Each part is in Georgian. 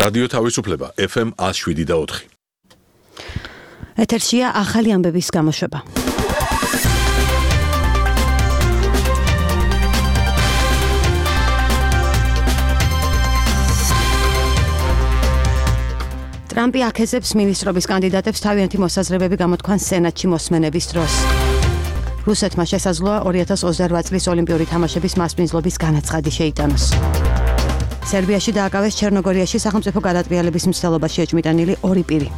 რადიო თავისუფლება FM 107.4. ეთერშია ახალი ამბების გამოშვება. ტრამპი აქეზებს მინისტრობის კანდიდატებს თავიანთი მოსაზრებები გამოთქვან სენატში მოსმენების დროს. რუსეთმა შესაძლოა 2028 წლის ოლიმპიური თამაშების მასპინძლობის განაცხადი შეიტანოს. სერბიაში დააკავეს ჩერნოგორიაში სახელმწიფო გადატრიალების მცდელობაში ეჭვმიტანილი 2 პირი.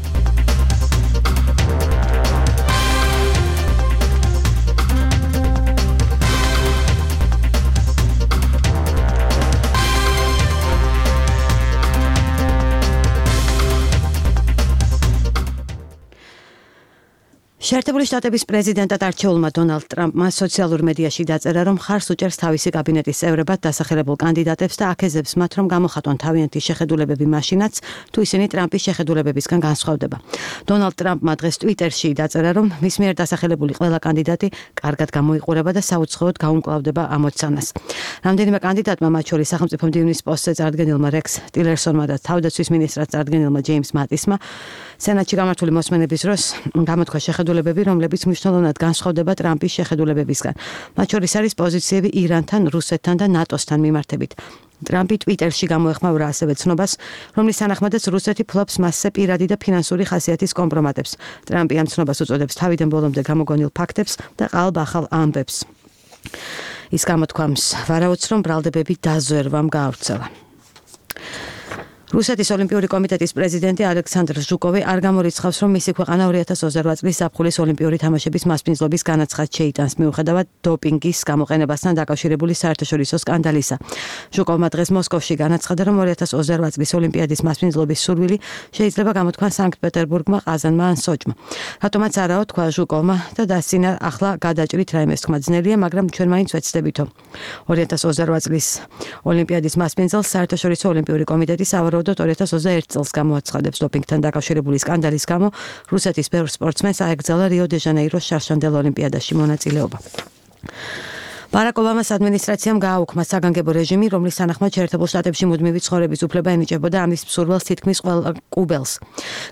შეერთებული შტატების პრეზიდენტად არჩეულმა დონალდ ტრამპმა სოციალურ მედიაში დაწერა, რომ ხარს უჭერს თავისი კაბინეტის წევრებად დასახელებულ კანდიდატებს და აქეზებს მათ, რომ გამოხატონ თავიანთი შეხედულებები მაშინაც, თუ ისინი ტრამპის შეხედულებებისგან განსხვავდება. დონალდ ტრამპმა დღეს ტვიტერში დაწერა, რომ მის მიერ დასახელებული ყველა კანდიდატი კარგად გამოიყურება და საუცხოოდ გაუმკლავდება ამოცანას. რამდენიმე კანდიდატმა, მათ შორის სახელმწიფო მდივნის პოსტზე წარდგენილმა რექს ტილერსონმა და თავდაცვის მინისტრად წარდგენილმა ჯეიმს მატისმა, სენატში გამართული მოსმენების დროს გამოთქვა შეხედულებები, რომლებიც მნიშვნელოვნად განსხვავდება ტრამპის შეხედულებებისგან. მათ შორის არის პოზიციები ირანთან, რუსეთთან და ნატოსთან მიმართებით. ტრამპი ტვიტერში გამოეხმაურა ასევე ცნობას, რომლის თანახმადაც რუსეთი ფლობს მასზე პირადი და ფინანსური ხასიათის კომპრომატებს. ტრამპი ამ ცნობას უწოდებს თავიდან ბოლომდე გამოგონილ ფაქტებს და ყალბ-ახალ ამბებს. ის გამოთქვამს, ვარაუდს, რომ ბრალდებები დაზვერვამ გაავრცელა. რუსეთის ოლიმპიური კომიტეტის პრეზიდენტი ალექსანდრ ჟუკოვი არ გამორიცხავს, რომ მისი ქვეყანა 2028 წლის ზაფხულის ოლიმპიური თამაშების მასპინძლობის განაცხადს შეიტანს მიუხედავად დოპინგის გამოყენებასთან დაკავშირებული საერთაშორისო სკანდალისა. ჟუკოვმა დღეს მოსკოვში განაცხადა, რომ 2028 წლის ოლიმპიადის მასპინძლობის სურვილი შეიძლება გამოთქვან სანქტ-პეტერბურგმა, ყაზანმა ან სოჭმა. რატომაც არაო, თქვა ჟუკოვმა და დასცინა ახლა გადაჭრით რაიმეს თქმა ძნელია, მაგრამ ჩვენ მაინც ვეცდებითო. 2028 წლის ოლიმპიადის მასპინძელს საერთაშორისო ოლიმპიური კომიტეტი სავარაუდოდ 2021 წელს გამოაცხადებს დოპინგთან დაკავშირებული სკანდალის გამო რუსეთის ბევრ სპორტსმენს აეკრძალა რიო-დე-ჟანეიროს შარშანდელ ოლიმპიადაში მონაწილეობა. ბარაკ ობამას ადმინისტრაციამ გააუქმა საგანგებო რეჟიმი, რომლის თანახმად შეერთებულ შტატებში მუდმივი ცხოვრების უფლება ენიჭებოდა ამის მსურველს თითქმის ყველა კუბელს.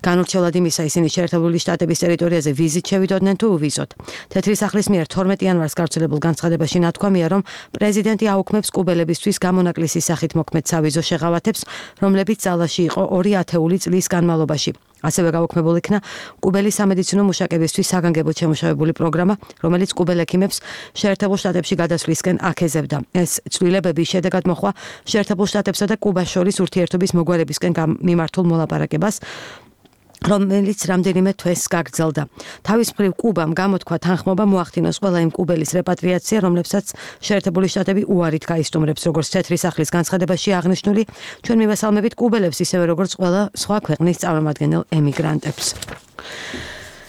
განურჩევლად იმისა, ისინი შეერთებული შტატების ტერიტორიაზე ვიზით შევიდოდნენ თუ უვიზოთ. თეთრი სახლის მიერ 12 იანვარს გავრცელებულ განცხადებაში ნათქვამია, რომ პრეზიდენტი აუქმებს კუბელებისთვის გამონაკლისის სახით მოქმედ სავიზო შეღავათებს, რომლებიც ძალაში იყო 2 ათეული წლის განმავლობაში. ასევე გაუქმებულ იქნა კუბელი სამედიცინო მუშაკებისთვის საგანგებოდ შემუშავებული პროგრამა, რომელიც კუბელ ექიმებს შეერთებულ შტატებში გადასვლისკენ აქეზებდა. ეს ცვლილებები შედეგად მოჰყვა შეერთებულ შტატებსა და კუბას შორის ურთიერთობის მოგვარებისკენ მიმართულ მოლაპარაკებას, რომელიც რამდენიმე თვეს გაგრძელდა. თავის მხრივ კუბამ გამოთქვა თანხმობა მოახდინოს ყველა იმ კუბელის რეპატრიაცია, რომლებსაც შეერთებული შტატები უარით გაისტუმრებს, როგორც თეთრი სახლის განცხადებაში აღნიშნული, ჩვენ მივესალმებით კუბელებს ისევე როგორც ყველა სხვა ქვეყნის წარმომადგენელ ემიგრანტებს.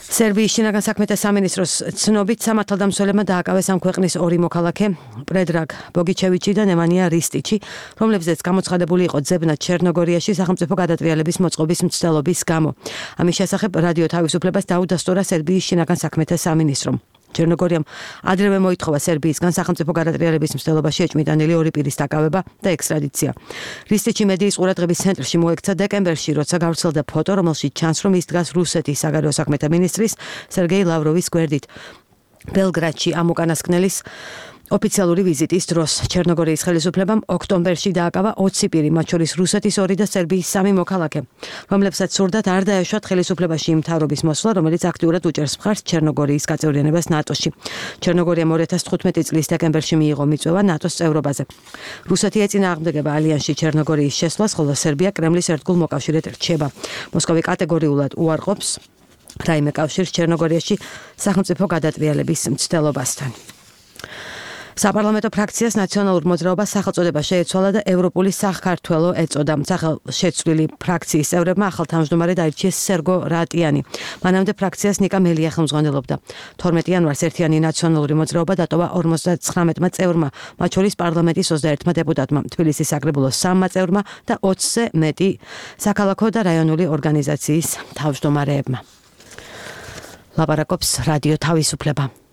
სერბიის შინაგან საქმეთა სამინისტროს ცნობით სამართალდამცველებმა დააკავეს ამ ქვეყნის 2 მოქალაქე, პრედრაგ ბოგიჩევიჩი და ნემანია რისტიჩი, რომლებზეც გამოცხადებული იყო ძებნა ჩერნოგორიაში სახელმწიფო გადატრიალების მოწყობის მცდელობის გამო. ამის შესახებ რადიო თავისუფლებას დაუდასტურა სერბიის შინაგან საქმეთა სამინისტრომ. ჩერნოგორიამ ადრევე მოითხოვა სერბიისგან სახელმწიფო გადატრიალების მცდელობაში ეჭვმიტანილი 2 პირის დაკავება და ექსტრადიცია. რისტიჩი მედიის ყურადღების ცენტრში მოექცა დეკემბერში, როცა გავრცელდა ფოტო, რომელშიც ჩანს, რომ ის დგას რუსეთის საგარეო საქმეთა მინისტრის სერგეი ლავროვის გვერდით. ბელგრადში ამ უკანასკნელის ოფიციალური ვიზიტის დროს ჩერნოგორიის ხელისუფლებამ ოქტომბერში დააკავა 20 პირი, მათ შორის რუსეთის 2 და სერბიის 3 მოქალაქე, რომლებსაც სურდათ არ დაეშვათ ხელისუფლებაში იმ მთავრობის მოსვლა, რომელიც აქტიურად უჭერს მხარს ჩერნოგორიის გაწევრიანებას ნატოში. ჩერნოგორიამ 2015 წლის დეკემბერში მიიღო მიწვევა ნატოს წევრობაზე. რუსეთი ეწინააღმდეგება ალიანსში ჩერნოგორიის შესვლას, ხოლო სერბია კრემლის ერთგულ მოკავშირედ რჩება. მოსკოვი კატეგორიულად უარყოფს რაიმე კავშირს ჩერნოგორიაში სახელმწიფო გადატრიალების მცდელობასთან. საპარლამენტო ფრაქციას ნაციონალურ მოძრაობას სახელწოდება შეეცვალა და ევროპული საქართველო ეწოდა. სახელშეცვლილი ფრაქციის წევრებმა ახალ თავმჯდომარედ აირჩიეს სერგო რატიანი. მანამდე ფრაქციას ნიკა მელია ხელმძღვანელობდა. 12 იანვარს ერთიანი ნაციონალური მოძრაობა დატოვა 59 წევრმა, მათ შორის პარლამენტის 21 დეპუტატმა, თბილისის საკრებულოს 3 წევრმა და 20-ზე მეტი საქალაქო და რაიონული ორგანიზაციის თავმჯდომარეებმა. ლაპარაკობს რადიო თავისუფლება.